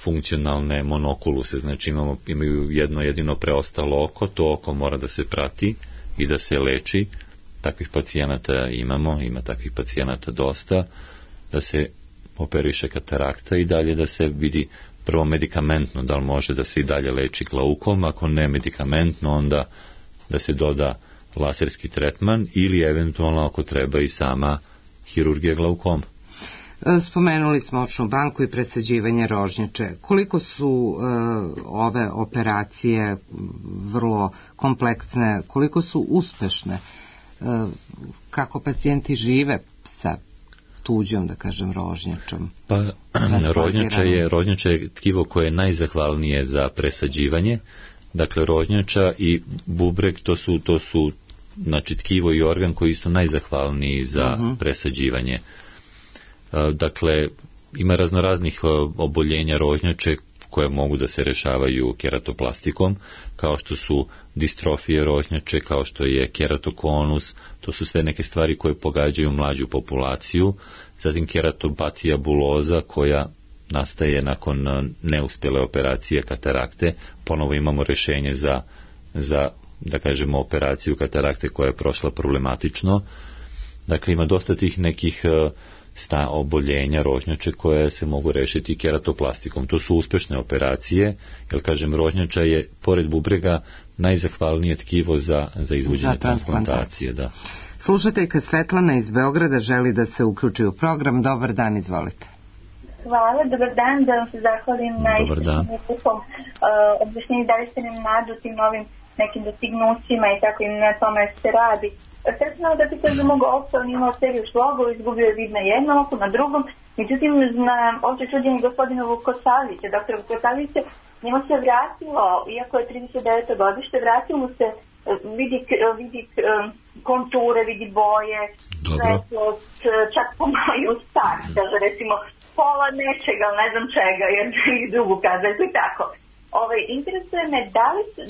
funkcionalne monokuluse, znači imaju jedno jedino preostalo oko, to oko mora da se prati i da se leči. Takvih pacijenata ima takvih pacijenata dosta, da se operiše katarakta i dalje da se vidi prvo medikamentno da li može da se i dalje leči glaukom, ako ne medikamentno onda da se doda laserski tretman ili eventualno ako treba i sama hirurgija glaukoma.
Spomenuli smo očnu banku i presađivanje rožnjače. Koliko su ove operacije vrlo kompleksne, koliko su uspešne? Kako pacijenti žive sa tuđom, da kažem, rožnjačom?
Pa rožnjača je tkivo koje je najzahvalnije za presađivanje. Dakle, rožnjača i bubreg to su znači tkivo i organ koji su najzahvalniji za presađivanje. Dakle, ima raznoraznih oboljenja rožnjače koje mogu da se rešavaju keratoplastikom, kao što su distrofije rožnjače, kao što je keratokonus, to su sve neke stvari koje pogađaju mlađu populaciju, zatim keratopatija buloza koja nastaje nakon neuspjele operacije katarakte, ponovo imamo rešenje za da kažemo operaciju katarakte koja je prošla problematično. Dakle, ima dosta tih nekih oboljenja rožnjače koje se mogu rešiti keratoplastikom. To su uspešne operacije, jer kažem rožnjača je pored bubrega najzahvalnije tkivo za izvođenje transplantacije. Da.
Slušateljka Svetlana iz Beograda želi da se uključi u program. Dobar dan, izvolite.
Hvala, dobar dan, da vam se zahvalim na istom objašnjenju, da li ste nam nadu tim novim nekim dostignućima i tako im na tome se radi. Sretno da pitam za mog oca, on imao seriju šlogova, izgubio je vid na jednom oku, na drugom, međutim na opće čuđenje gospodina Vukosavljića, doktora Vukosavljića, njemu se vratilo, iako je 39. godište, vratilo mu se, vidi konture, vidi boje, svetlost, čak pomalo i ustak, kaže recimo pola nečega, ne znam čega, jer i drugu kazaljku i tako. Interesuje me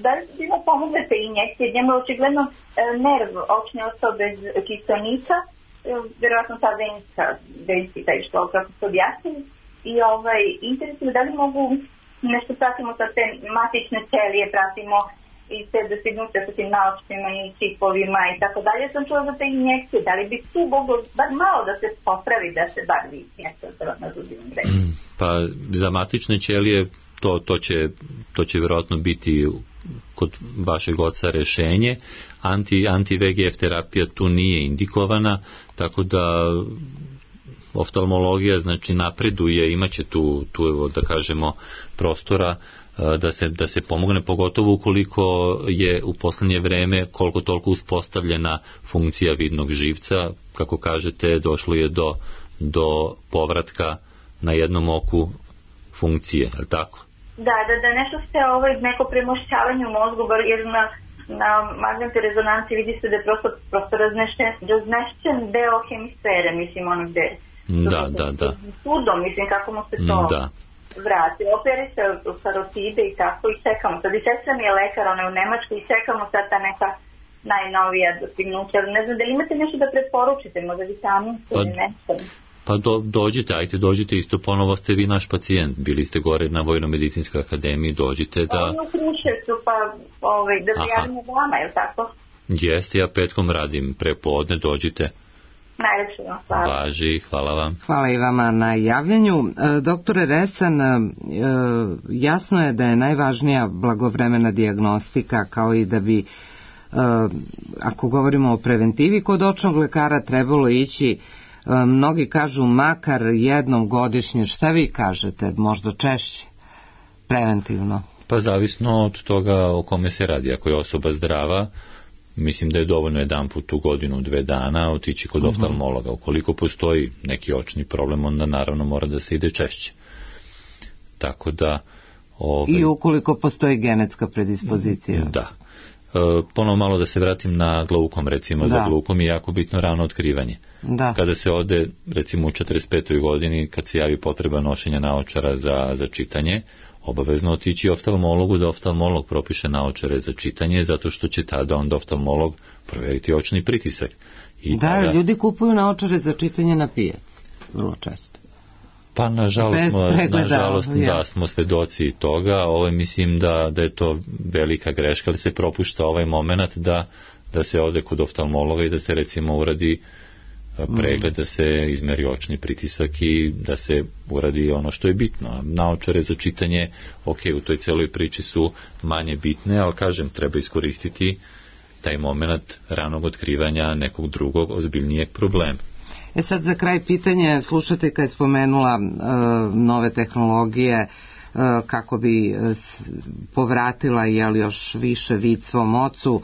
da li su ima pomogle te injekcije, njemu je očigledno nerv očne ostao bez kiselnika, vjerojatno ta venska taj što kako se objasnili, i interesuje me da li mogu nešto pratimo sa te matične ćelije, pratimo i te dostignuće sa tim naočnima i čipovima i tako dalje. Sam čula za te injekcije, da li bi tu moglo bar malo da se popravi, da se bar vidi nešto na zubinom redu?
Pa za matične ćelije to će vjerojatno biti kod vašeg oca rešenje. Anti-VEGF terapija tu nije indikovana, tako da oftalmologija znači napreduje, imaće tu da kažemo prostora da se pomogne, pogotovo ukoliko je u poslednje vreme koliko toliko uspostavljena funkcija vidnog živca, kako kažete došlo je do povratka na jednom oku funkcije, je li tako?
Da nešto ste neko premošćavanje u mozgu, jer na magnetnoj rezonanci vidi se da je prosto raznešćen deo hemisfere, mislim ono gde sudom, mislim kako mu se to vrati. Operi se karotide i tako i čekamo. Sad i sestra mi je lekar, ona je u Nemačkoj i čekamo sad ta neka najnovija dostignuća. Ne znam, da li imate nešto da preporučite, možda vitaminsko ili nešto?
Pa dođite isto, ponovo ste vi naš pacijent, bili ste gore na Vojno-medicinskoj akademiji, dođite da...
Oni u Kruševcu, pa da se javimo vama, je li tako?
Jeste, ja petkom radim prepodne, dođite.
Najlepše vam hvala.
Važi, hvala vam.
Hvala i vama na javljanju. Doktore Resan, jasno je da je najvažnija blagovremena dijagnostika, kao i da bi, ako govorimo o preventivi, kod očnog lekara trebalo ići, mnogi kažu makar jednom godišnje. Šta vi kažete, možda češće, preventivno?
Pa zavisno od toga o kome se radi. Ako je osoba zdrava, mislim da je dovoljno jedan put u godinu, 2 dana otići kod oftalmologa. Ukoliko postoji neki očni problem, onda naravno mora da se ide češće. Tako da...
I ukoliko postoji genetska predispozicija.
Da. Ponovo malo da se vratim na glaukom, recimo. Za glaukom je jako bitno rano otkrivanje.
Da.
Kada se ode, recimo u 45. godini, kad se javi potreba nošenja naočara za čitanje, obavezno otići oftalmologu da oftalmolog propiše naočare za čitanje, zato što će tada onda oftalmolog provjeriti očni pritisak.
I tada... ljudi kupuju naočare za čitanje na pijaci, vrlo često.
Pa nažalost da smo svedoci toga. Mislim da je to velika greška, da se propušta ovaj moment da se ode kod oftalmologa i da se recimo uradi pregled, da se izmeri očni pritisak i da se uradi ono što je bitno. Naočare za čitanje, u toj celoj priči su manje bitne, ali kažem, treba iskoristiti taj moment ranog otkrivanja nekog drugog ozbiljnijeg problema.
Sad za kraj pitanje, slušateljka je spomenula nove tehnologije kako bi povratila još više vid svom ocu.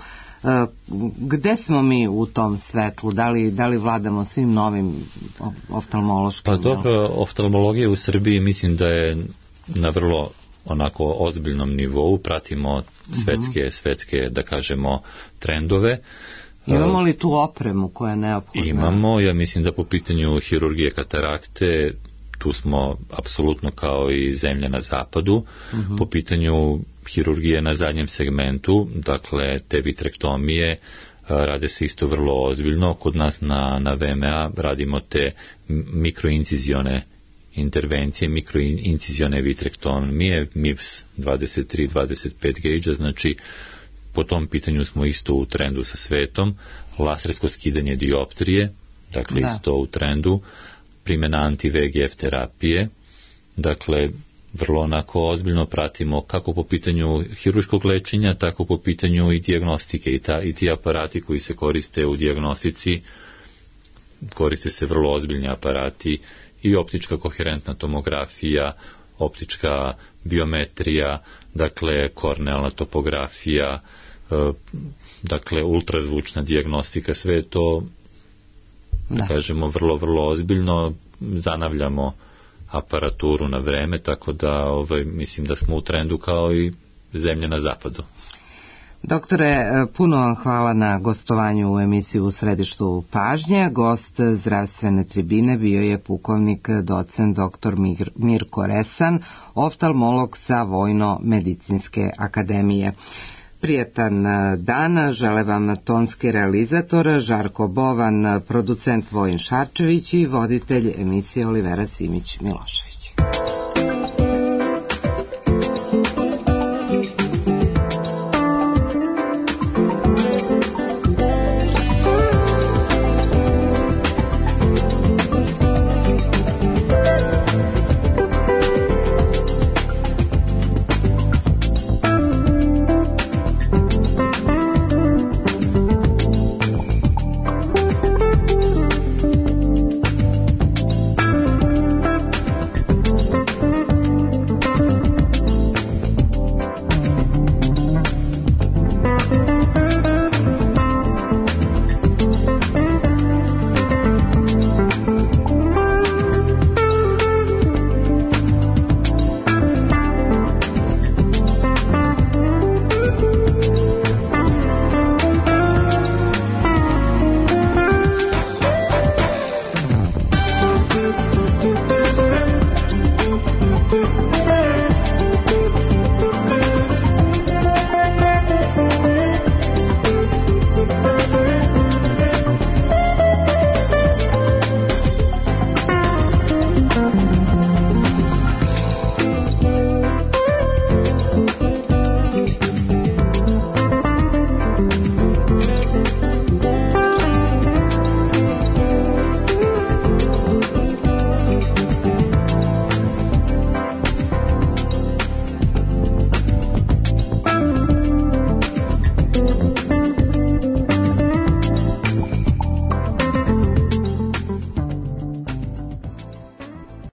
Gde smo mi u tom svetlu? Da li vladamo svim novim oftalmološkim?
Pa dobro, oftalmologija u Srbiji mislim da je na vrlo onako ozbiljnom nivou, pratimo svetske da kažemo trendove.
Imamo li tu opremu koja je neophodna?
Imamo, ja mislim da po pitanju hirurgije katarakte tu smo apsolutno kao i zemlja na zapadu. Po pitanju hirurgije na zadnjem segmentu, dakle te vitrektomije, rade se isto vrlo ozbiljno. Kod nas na VMA radimo te mikroincizione intervencije, mikroincizione vitrektomije, MIVS 23-25 gauge, znači po tom pitanju smo isto u trendu sa svetom. Lasersko skidanje dioptrije, dakle isto u trendu. Primjena anti-VEGF terapije, dakle vrlo onako ozbiljno pratimo kako po pitanju hirurškog lečenja, tako po pitanju i dijagnostike i ti aparati koji se koriste u dijagnostici, koriste se vrlo ozbiljni aparati i optička koherentna tomografija, optička biometrija, dakle kornealna topografija, dakle ultrazvučna dijagnostika, sve to da kažemo vrlo, vrlo ozbiljno, zanavljamo aparaturu na vreme, tako da mislim da smo u trendu kao i zemlje na zapadu.
Doktore, puno vam hvala na gostovanju u emisiju U središtu pažnje. Gost zdravstvene tribine bio je pukovnik docent dr. Mirko Resan, oftalmolog sa Vojno-medicinske akademije. Prijetan dan, žele vam tonski realizator Žarko Bovan, producent Vojin Šarčević i voditelj emisije Olivera Simić Milošević.